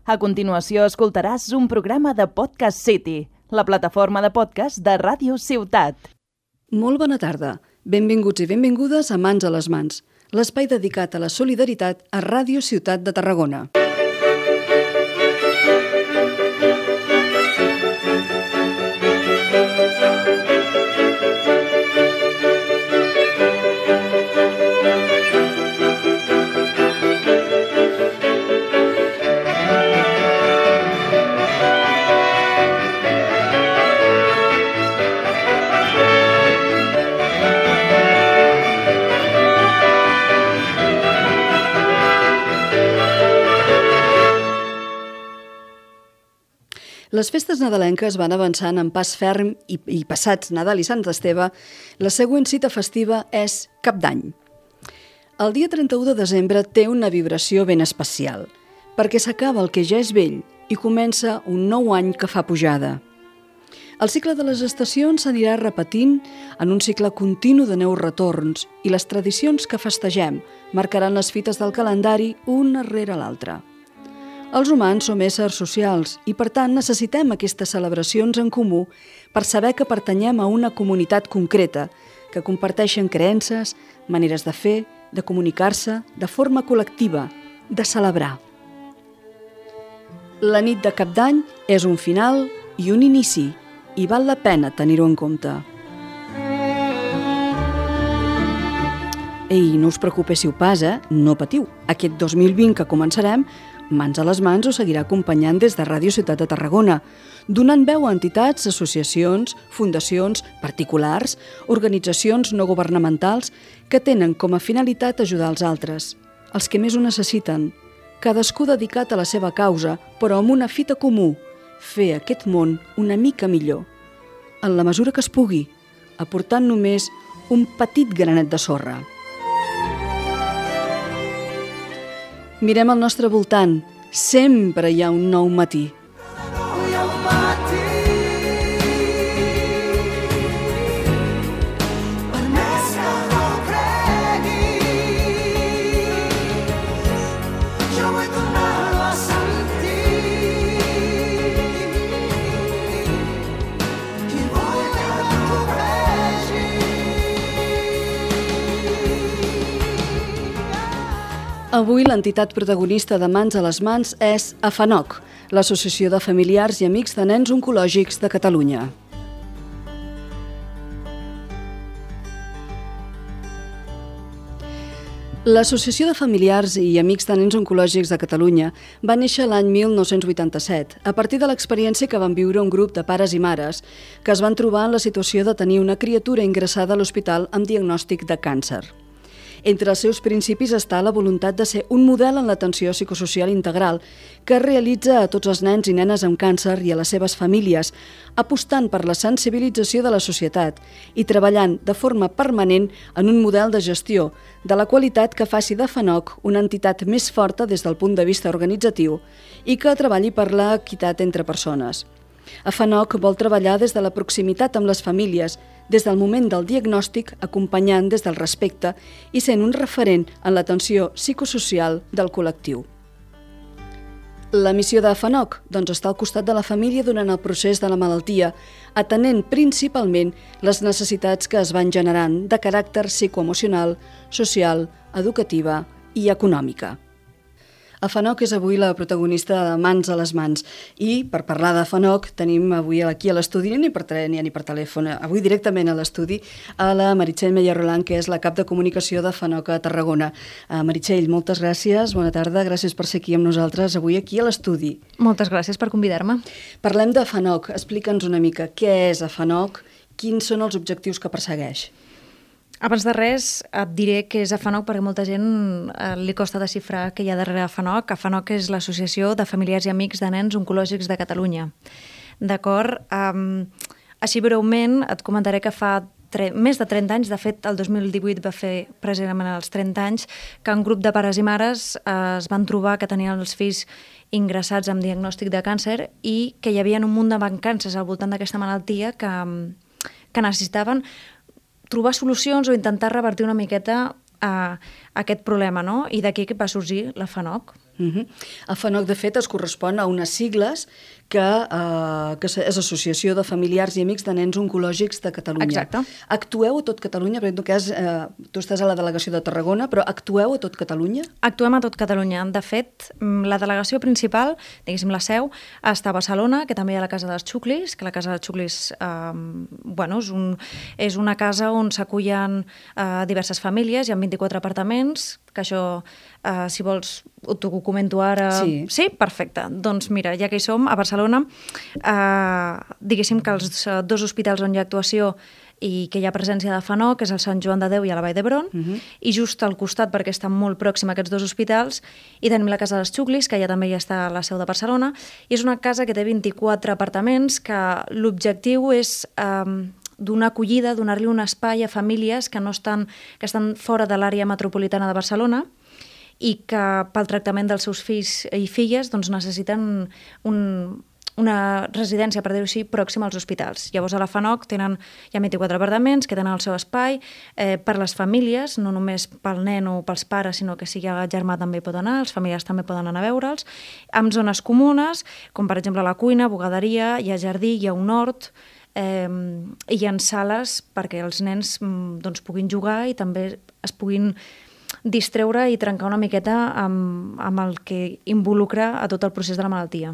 A continuació escoltaràs un programa de Podcast City, la plataforma de podcast de Ràdio Ciutat. Molt bona tarda. Benvinguts i benvingudes a Mans a les Mans, l'espai dedicat a la solidaritat a Ràdio Ciutat de Tarragona. Les festes nadalenques van avançant en pas ferm i passats Nadal i Sant Esteve, la següent cita festiva és Cap d'Any. El dia 31 de desembre té una vibració ben especial, perquè s'acaba el que ja és vell i comença un nou any que fa pujada. El cicle de les estacions s'anirà repetint en un cicle continu de nous retorns i les tradicions que festegem marcaran les fites del calendari una rere l'altra. Els humans som éssers socials i, per tant, necessitem aquestes celebracions en comú per saber que pertanyem a una comunitat concreta, que comparteixen creences, maneres de fer, de comunicar-se, de forma col·lectiva, de celebrar. La nit de Cap d'Any és un final i un inici, i val la pena tenir-ho en compte. Ei, no us preocupéssiu pas, no patiu. Aquest 2020 que començarem, Mans a les Mans us seguirà acompanyant des de Ràdio Ciutat de Tarragona, donant veu a entitats, associacions, fundacions, particulars, organitzacions no governamentals que tenen com a finalitat ajudar els altres, els que més ho necessiten, cadascú dedicat a la seva causa, però amb una fita comú, fer aquest món una mica millor, en la mesura que es pugui, aportant només un petit granet de sorra. Mirem al nostre voltant, sempre hi ha un nou matí. Avui l'entitat protagonista de Mans a les Mans és AFANOC, l'Associació de Familiars i Amics de Nens Oncològics de Catalunya. L'Associació de Familiars i Amics de Nens Oncològics de Catalunya va néixer l'any 1987, a partir de l'experiència que van viure un grup de pares i mares que es van trobar en la situació de tenir una criatura ingressada a l'hospital amb diagnòstic de càncer. Entre els seus principis està la voluntat de ser un model en l'atenció psicosocial integral que es realitza a tots els nens i nenes amb càncer i a les seves famílies, apostant per la sensibilització de la societat i treballant de forma permanent en un model de gestió de la qualitat que faci d'AFANOC una entitat més forta des del punt de vista organitzatiu i que treballi per l'equitat entre persones. AFANOC vol treballar des de la proximitat amb les famílies, des del moment del diagnòstic, acompanyant des del respecte i sent un referent en l'atenció psicosocial del col·lectiu. La missió d'AFANOC està al costat de la família durant el procés de la malaltia, atenent principalment les necessitats que es van generant de caràcter psicoemocional, social, educativa i econòmica. AFANOC és avui la protagonista de Mans a les Mans i per parlar d'AFANOC tenim avui aquí a l'estudi, ni per telèfon, avui directament a l'estudi, a la Meritxell Meller-Roland, que és la cap de comunicació d'AFANOC a Tarragona. Meritxell, moltes gràcies, bona tarda, gràcies per ser aquí amb nosaltres avui aquí a l'estudi. Moltes gràcies per convidar-me. Parlem d'AFANOC, explica'ns una mica què és AFANOC, quins són els objectius que persegueix. Abans de res et diré que és AFANOC perquè molta gent li costa desxifrar què hi ha darrere AFANOC. AFANOC és l'Associació de Familiars i Amics de Nens Oncològics de Catalunya. D'acord? Així breument et comentaré que fa més de 30 anys, de fet el 2018 va fer precisament els 30 anys, que un grup de pares i mares es van trobar que tenien els fills ingressats amb diagnòstic de càncer i que hi havia un munt de mancances al voltant d'aquesta malaltia que necessitaven trobar solucions o intentar revertir una miqueta aquest problema, no? I d'aquí que va sorgir l'AFANOC. El FANOC, de fet, es correspon a unes sigles que és Associació de Familiars i Amics de Nens Oncològics de Catalunya. Exacte. Actueu a tot Catalunya? Perquè en tot cas, tu estàs a la delegació de Tarragona, però actueu a tot Catalunya? Actuem a tot Catalunya. De fet, la delegació principal, diguéssim la seu, està a Barcelona, que també hi ha la Casa dels Xuclis, que la Casa dels Xuclis és una casa on s'acullen diverses famílies, hi ha 24 apartaments, que això, si vols, t'ho comento ara. Sí? Perfecte. Doncs mira, ja que hi som, a Barcelona, diguéssim que els dos hospitals on hi ha actuació i que hi ha presència de FANOC, que és el Sant Joan de Déu i a la Vall d'Hebron, i just al costat, perquè estan molt pròxim a aquests dos hospitals, i tenim la Casa dels Xuclis, que ja també hi està a la seu de Barcelona, i és una casa que té 24 apartaments, que l'objectiu és donar acollida, donar-li un espai a famílies que estan fora de l'àrea metropolitana de Barcelona i que pel tractament dels seus fills i filles doncs, necessiten una residència, per dir-ho així, pròxima als hospitals. Llavors a la FANOC hi ha 24 apartaments que tenen el seu espai per les famílies, no només pel nen o pels pares, sinó que si hi ha germà també hi pot anar, els familiars també poden anar a veure'ls, amb zones comunes, com per exemple la cuina, bugaderia, hi ha jardí, hi ha un hort, hi ha sales perquè els nens puguin jugar i també es puguin distreure i trencar una miqueta amb el que involucra a tot el procés de la malaltia.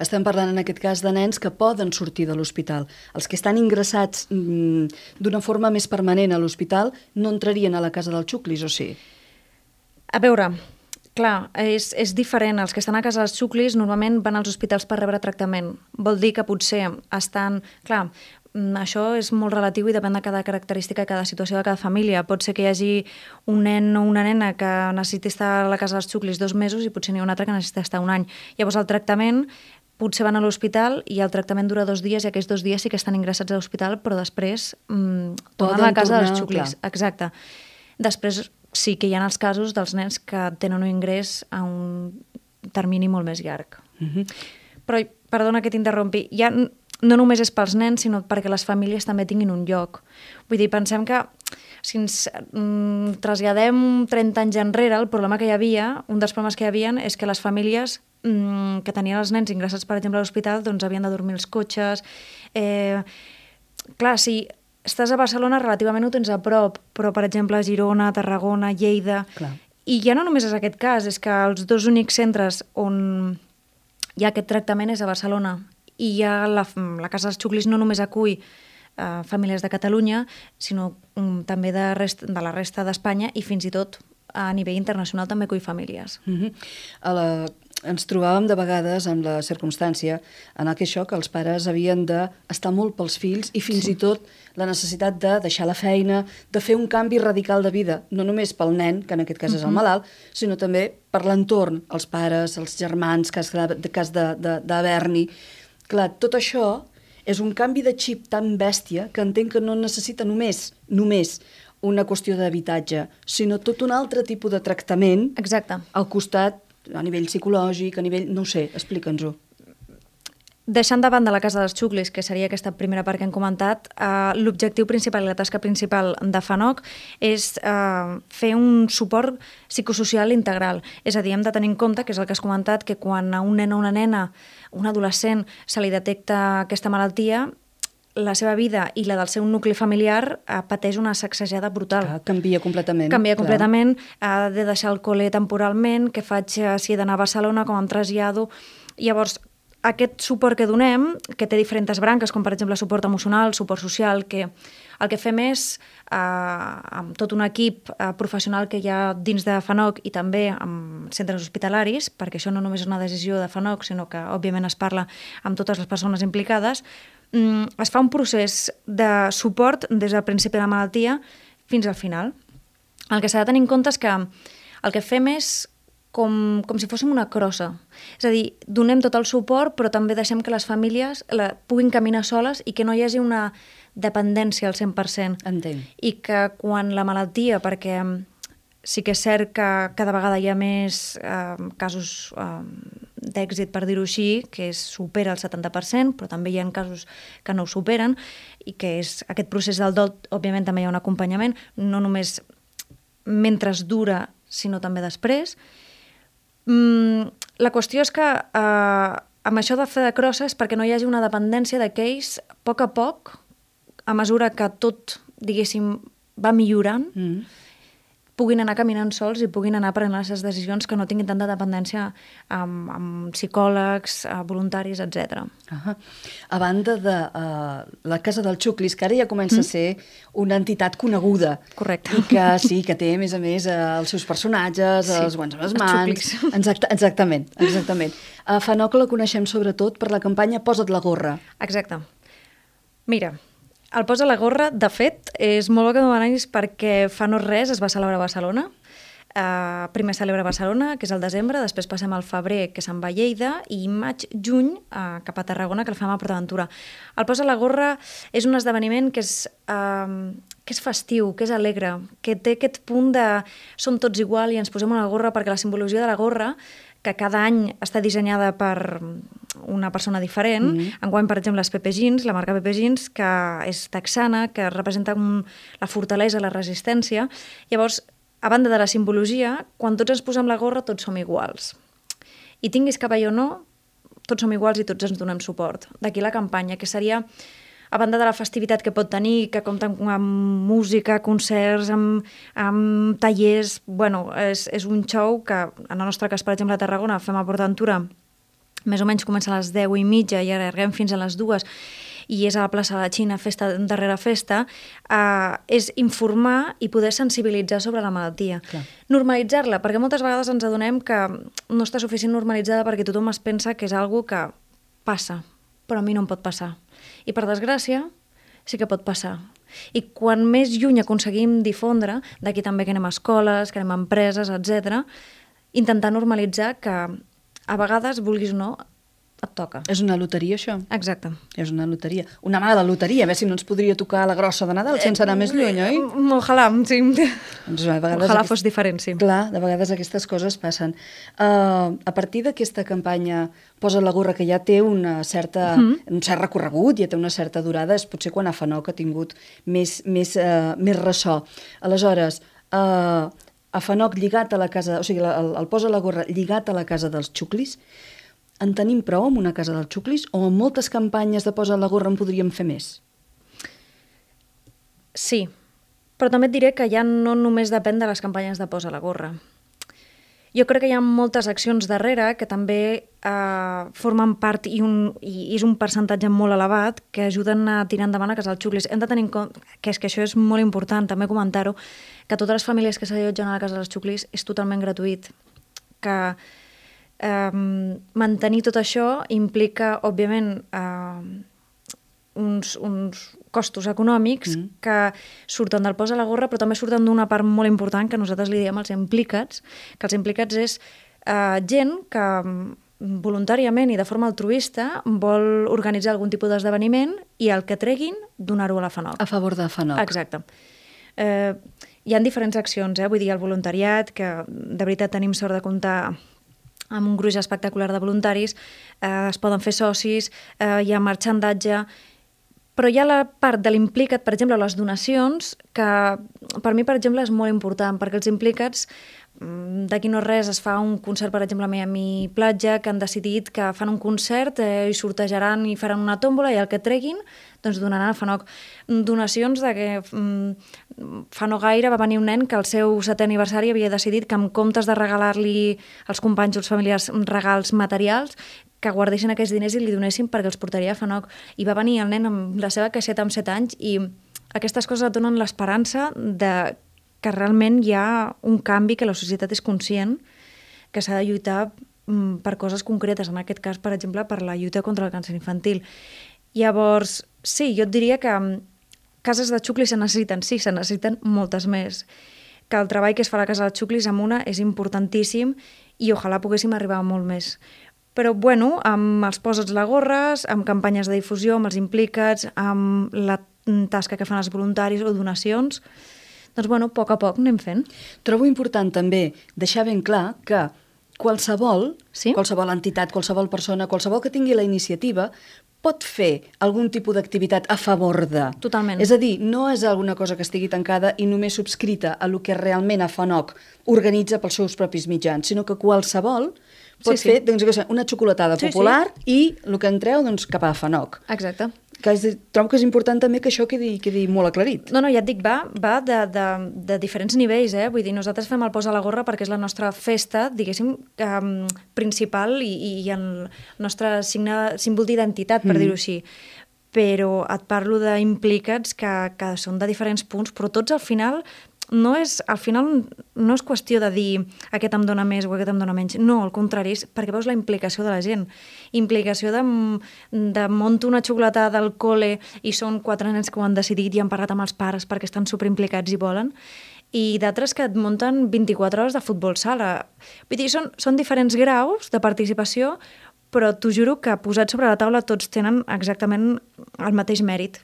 Estem parlant en aquest cas de nens que poden sortir de l'hospital. Els que estan ingressats d'una forma més permanent a l'hospital no entrarien a la Casa dels Xuclis, o sí? A veure, clar, és diferent. Els que estan a Casa dels Xuclis normalment van als hospitals per rebre tractament. Vol dir que potser estan... Clar, això és molt relatiu i depèn de cada característica i cada situació de cada família. Pot ser que hi hagi un nen o una nena que necessiti estar a la Casa dels Xuclis 2 mesos i potser n'hi ha un altre que necessita estar un any. Llavors el tractament, potser van a l'hospital i el tractament dura 2 dies i aquells 2 dies sí que estan ingressats a l'hospital, però després tornen a la Casa dels Xuclis. Clar. Exacte. Després sí que hi ha els casos dels nens que tenen un ingrés a un termini molt més llarg. Però, perdona que t'interrompi, no només és pels nens, sinó perquè les famílies també tinguin un lloc. Vull dir, pensem que si ens traslladem 30 anys enrere, el problema que hi havia, un dels problemes que hi havia és que les famílies que tenien els nens ingressats, per exemple, a l'hospital, doncs havien de dormir als cotxes. Clar, si estàs a Barcelona, relativament ho tens a prop, però, per exemple, a Girona, Tarragona, Lleida... Clar. I ja no només és aquest cas, és que els 2 únics centres on hi ha aquest tractament és a Barcelona. I ja la Casa dels Xuclis no només acull famílies de Catalunya, sinó també de la resta d'Espanya i fins i tot a nivell internacional també acull famílies. Ens trobàvem de vegades amb la circumstància en què els pares havien d'estar molt pels fills i fins i tot la necessitat de deixar la feina, de fer un canvi radical de vida, no només pel nen, que en aquest cas és el malalt, sinó també per l'entorn, els pares, els germans, cas d'haver-n'hi. Clar, tot això és un canvi de xip tan bèstia que entenc que no necessita només una qüestió d'habitatge, sinó tot un altre tipus de tractament. Exacte. Al costat, a nivell psicològic, a nivell... no ho sé, explica'ns-ho. Deixant de banda la Casa dels Xuclis, que seria aquesta primera part que hem comentat, l'objectiu principal i la tasca principal de FANOC és fer un suport psicosocial integral. És a dir, hem de tenir en compte, que és el que has comentat, que quan a un nen o una nena, un adolescent, se li detecta aquesta malaltia, la seva vida i la del seu nucli familiar pateix una sacsejada brutal. Canvia completament. Canvia completament, ha de deixar el col·le temporalment, què faig si he d'anar a Barcelona, com em trasllado... Llavors, aquest suport que donem, que té diferents branques, com per exemple suport emocional, suport social, que el que fem és, amb tot un equip professional que hi ha dins de FANOC i també amb centres hospitalaris, perquè això no només és una decisió de FANOC, sinó que òbviament es parla amb totes les persones implicades, es fa un procés de suport des del principi de la malaltia fins al final. El que s'ha de tenir en compte és que el que fem és com si fóssim una crossa. És a dir, donem tot el suport, però també deixem que les famílies puguin caminar soles i que no hi hagi una dependència al 100%. Entenc. I que quan la malaltia, perquè sí que és cert que cada vegada hi ha més casos d'èxit, per dir-ho així, que supera el 70%, però també hi ha casos que no ho superen, i que és aquest procés del dol, òbviament també hi ha un acompanyament, no només mentre dura, sinó també després. La qüestió és que amb això de fer de crosses, perquè no hi hagi una dependència d'aquells, a poc, a mesura que tot, diguéssim, va millorant, puguin anar caminant sols i puguin anar prenent les decisions que no tinguin tanta dependència amb psicòlegs, voluntaris, etc. A banda de la Casa dels Xuclis, que ara ja comença a ser una entitat coneguda. Correcte. I que sí, que té, a més, els seus personatges, els guants a les mans... Exactament. A FANOC la coneixem sobretot per la campanya Posa't la gorra. Exacte. Mira, el Posa la gorra, de fet, és molt bo que m'ho demanis perquè fa no res es va celebrar a Barcelona. Primer celebra a Barcelona, que és el desembre, després passem al febrer, que se'n va a Lleida, i maig, juny, cap a Tarragona, que el fem a PortAventura. El Posa la gorra és un esdeveniment que és festiu, que és alegre, que té aquest punt de som tots igual i ens posem una gorra, perquè la simbologia de la gorra, que cada any està dissenyada per una persona diferent. Enguany, per exemple, és Pepe Jeans, la marca Pepe Jeans, que és texana, que representa la fortalesa, la resistència. Llavors, a banda de la simbologia, quan tots ens posem la gorra, tots som iguals. I tinguis cabell o no, tots som iguals i tots ens donem suport. D'aquí la campanya, que seria, a banda de la festivitat que pot tenir, que compta amb música, concerts, amb tallers... Bueno, és un show que, en el nostre cas, per exemple, a Tarragona, fem a PortAventura, més o menys comença a les 10:30 i allarguem fins a les 2, i és a la plaça de la Xina, festa darrere festa, és informar i poder sensibilitzar sobre la malaltia. Clar. Normalitzar-la, perquè moltes vegades ens adonem que no està suficient normalitzada perquè tothom es pensa que és algo que passa, però a mi no em pot passar. I per desgràcia, sí que pot passar. I quan més lluny aconseguim difondre, d'aquí també que anem a escoles, que anem a empreses, etc., intentar normalitzar que a vegades, vulguis o no, et toca. És una loteria, això? Exacte. És una loteria. Una mala loteria, a veure si no ens podria tocar la grossa de Nadal sense anar més lluny, oi? Ojalà, sí. Doncs a vegades Ojalà fos diferent, sí. Clar, de vegades aquestes coses passen. A partir d'aquesta campanya Posa la gorra, que ja té un cert recorregut, ja té una certa durada, és potser quan a FANOC ha tingut més ressò. Aleshores, a FANOC lligat a la casa, o sigui, el Posa la gorra lligat a la Casa dels Xuclis, en tenim prou amb una Casa dels Xuclis o amb moltes campanyes de Posa la gorra en podríem fer més? Sí, però també et diré que ja no només depèn de les campanyes de Posa la gorra. Jo crec que hi ha moltes accions darrere que també formen part i és un percentatge molt elevat que ajuden a tirar endavant a Casa dels Xuclis. Hem de tenir en compte que això és molt important, també comentar-ho, que totes les famílies que s'allotgen a la Casa dels Xuclis és totalment gratuït, que mantenir tot això implica, òbviament, uns costos econòmics que surten del Posa la gorra, però també surten d'una part molt important que nosaltres li diem els implicats, que els implicats és gent que voluntàriament i de forma altruista vol organitzar algun tipus d'esdeveniment i el que treguin, donar-ho a la FANOC. A favor de FANOC. Exacte. Hi ha diferents accions, vull dir, el voluntariat, que de veritat tenim sort de comptar amb un gruix espectacular de voluntaris, es poden fer socis, hi ha marxandatge, però hi ha la part de l'implicat, per exemple, les donacions, que per mi, per exemple, és molt important, perquè els implicats, d'aquí no res, es fa un concert, per exemple, a Miami Platja, que han decidit que fan un concert i sortejaran i faran una tòmbola i el que treguin, doncs donaran a FANOC. Donacions de que fa no gaire va venir un nen que al seu 7è aniversari havia decidit que en comptes de regalar-li als companys o als familiars regals materials, que guardessin aquests diners i li donessin perquè els portaria a FANOC. I va venir el nen amb la seva caixeta amb 7 anys i aquestes coses et donen l'esperança de que realment hi ha un canvi, que la societat és conscient que s'ha de lluitar per coses concretes, en aquest cas, per exemple, per la lluita contra el càncer infantil. Llavors, sí, jo et diria que cases de xuclis se necessiten, sí, se necessiten moltes més. Que el treball que es fa a la Casa dels Xuclis amb una és importantíssim i ojalà poguéssim arribar a molt més. Però, bueno, amb els Posa't la gorra, amb campanyes de difusió, amb els implicats, amb la tasca que fan els voluntaris o donacions, doncs, bueno, a poc anem fent. Trobo important també deixar ben clar que qualsevol entitat, qualsevol persona, qualsevol que tingui la iniciativa, pot fer algun tipus d'activitat a favor de. Totalment. És a dir, no és alguna cosa que estigui tancada i només subscrita a lo que realment a FANOC organitza pels seus propis mitjans, sinó que qualsevol pot fer una xocolatada popular i el que entreu cap a FANOC. Exacte. Trobo que és important també que això quedi molt aclarit. No, ja et dic, va de diferents nivells, Vull dir, nosaltres fem el Posa la Gorra perquè és la nostra festa, diguéssim, principal i el nostre símbol d'identitat, per dir-ho així. Però et parlo d'implicats que són de diferents punts, però tots al final no és qüestió de dir aquest em dona més o aquest em dona menys. No, al contrari, és perquè veus la implicació de la gent. Implicació de monto una xocolatada del col·le i són 4 nens que ho han decidit i han parlat amb els pares perquè estan superimplicats i volen, i d'altres que et munten 24 hores de futbol sala. Vull dir, són diferents graus de participació, però t'ho juro que posats sobre la taula tots tenen exactament el mateix mèrit.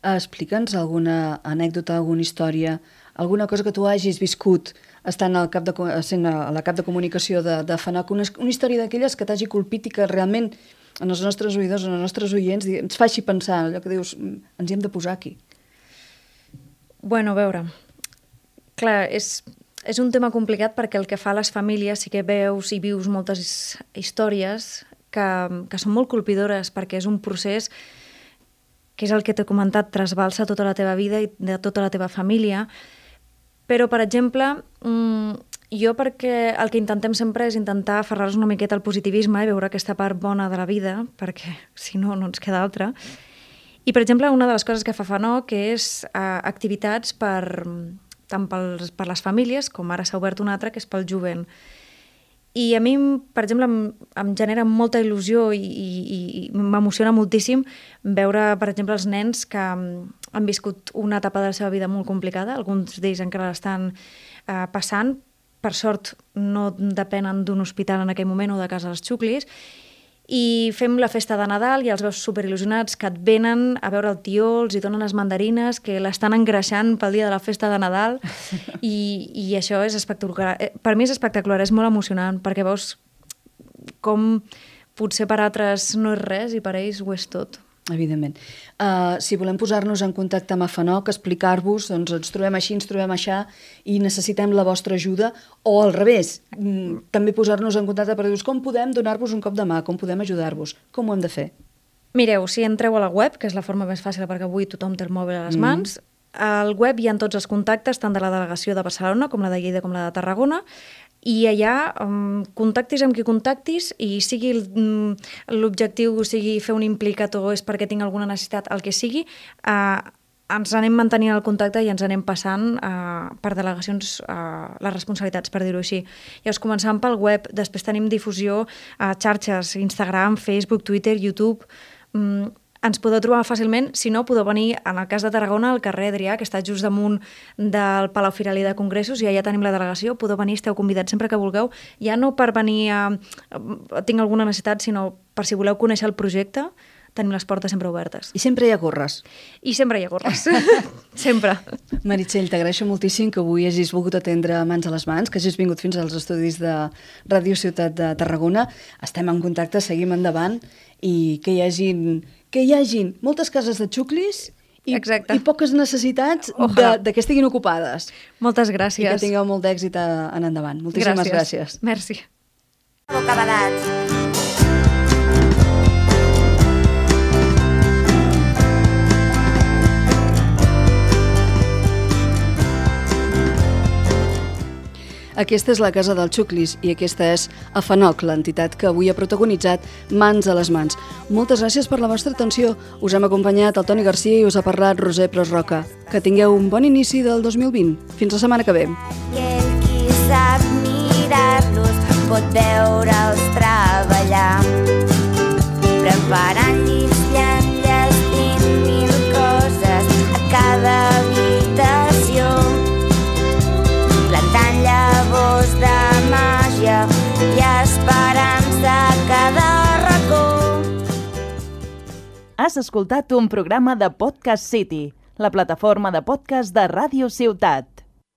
Explica'ns alguna anècdota, alguna història, alguna cosa que tu hagis viscut estant sent a la cap de comunicació de FANOC, una història d'aquelles que t'hagi colpit i que realment en els nostres oïdors, en els nostres oients, ens faci pensar, allò que dius, ens hi hem de posar aquí. Bueno, a veure, clar, és un tema complicat perquè el que fa a les famílies sí que veus i vius moltes històries que són molt colpidores perquè és un procés que és el que t'he comentat, trasbalsa tota la teva vida i de tota la teva família. Però, per exemple, jo perquè el que intentem sempre és intentar aferrar-nos una miqueta al positivisme i veure aquesta part bona de la vida, perquè si no, no ens queda altra. I, per exemple, una de les coses que fa FANOC és activitats tant per les famílies, com ara s'ha obert una altra, que és pel jovent. I a mi, per exemple, em genera molta il·lusió i m'emociona moltíssim veure, per exemple, els nens que han viscut una etapa de la seva vida molt complicada, alguns d'ells encara l'estan passant, per sort no depenen d'un hospital en aquell moment o de casa dels xuclis, i fem la festa de Nadal i els veus superil·lusionats que et venen a veure el tió, els hi donen les mandarines, que l'estan engreixant pel dia de la festa de Nadal i això és espectacular. Per mi és espectacular, és molt emocionant perquè veus com potser per altres no és res i per ells ho és tot. Evidentment. Si volem posar-nos en contacte amb FANOC, explicar-vos, doncs ens trobem així, ens trobem aixà i necessitem la vostra ajuda, o al revés, també posar-nos en contacte per dir-vos com podem donar-vos un cop de mà, com podem ajudar-vos, com ho hem de fer? Mireu, si entreu a la web, que és la forma més fàcil perquè avui tothom té el mòbil a les mans, al web hi ha tots els contactes, tant de la delegació de Barcelona com la de Lleida com la de Tarragona, i allà contactis amb qui contactis i sigui l'objectiu, sigui fer un implicat o és perquè tinc alguna necessitat, el que sigui, ens anem mantenint el contacte i ens anem passant per delegacions les responsabilitats, per dir-ho així. Llavors començant pel web, després tenim difusió a xarxes, Instagram, Facebook, Twitter, YouTube. Ens podeu trobar fàcilment, si no, podeu venir, en el cas de Tarragona, al carrer Adrià, que està just damunt del Palau Firalí de Congressos, i allà tenim la delegació, podeu venir, esteu convidats sempre que vulgueu, ja no per venir tinc alguna necessitat, sinó per si voleu conèixer el projecte, tenim les portes sempre obertes. I sempre hi ha gorres. I sempre hi ha gorres, sempre. Meritxell, t'agraeixo moltíssim que avui hagis volgut atendre Mans a les Mans, que hagis vingut fins als estudis de Ràdio Ciutat de Tarragona. Estem en contacte, seguim endavant, i que hi hagin moltes cases de xuclis i poques necessitats de que estiguin ocupades. Moltes gràcies. I que tingueu molt d'èxit en endavant. Moltíssimes gràcies. Merci. Bocabadats. Aquesta és la Casa dels Xuclis i aquesta és FANOC, l'entitat que avui ha protagonitzat Mans a les Mans. Moltes gràcies per la vostra atenció. Us hem acompanyat el Toni Garcia i us ha parlat Roser Pros Roca. Que tingueu un bon inici del 2020. Fins la setmana que ve. I el qui sap mirar-los pot veure'ls treballar, preparant llits, enllestint mil coses a cada habitació, plantant llavors de màgia i esperança a cada racó. Has escoltat un programa de Podcast City, la plataforma de podcast de Ràdio Ciutat.